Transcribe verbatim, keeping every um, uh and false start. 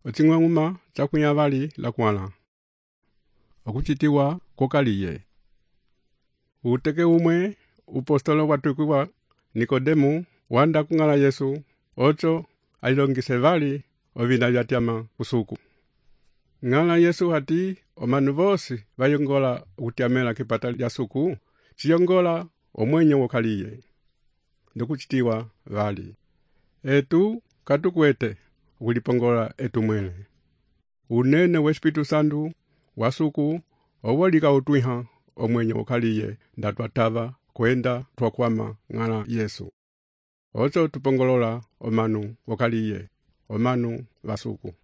Ocing'wang'uma chakunya vali la kuala. Okuchitiwa kokaliye. Uteke umwe upostolo watukiwa Nikodemu wanda kung'ala Yesu ocho alilongise vali ovina vyatyama usuku. Ng'ala Yesu hati omanu vosi vayongola utyamela kipata lya suku chiyongola omwenye wokaliye. Ndokuchitiwa vali. Etu katukwete ulipongola etu mwele. Unene wa Espiritu Santu wasuku owolika utwiha omwenye wokaliye ndatwatava kwenda twakwama ng'ala Yesu. Ocho tupongolola omanu wokaliye, omanu vasuku.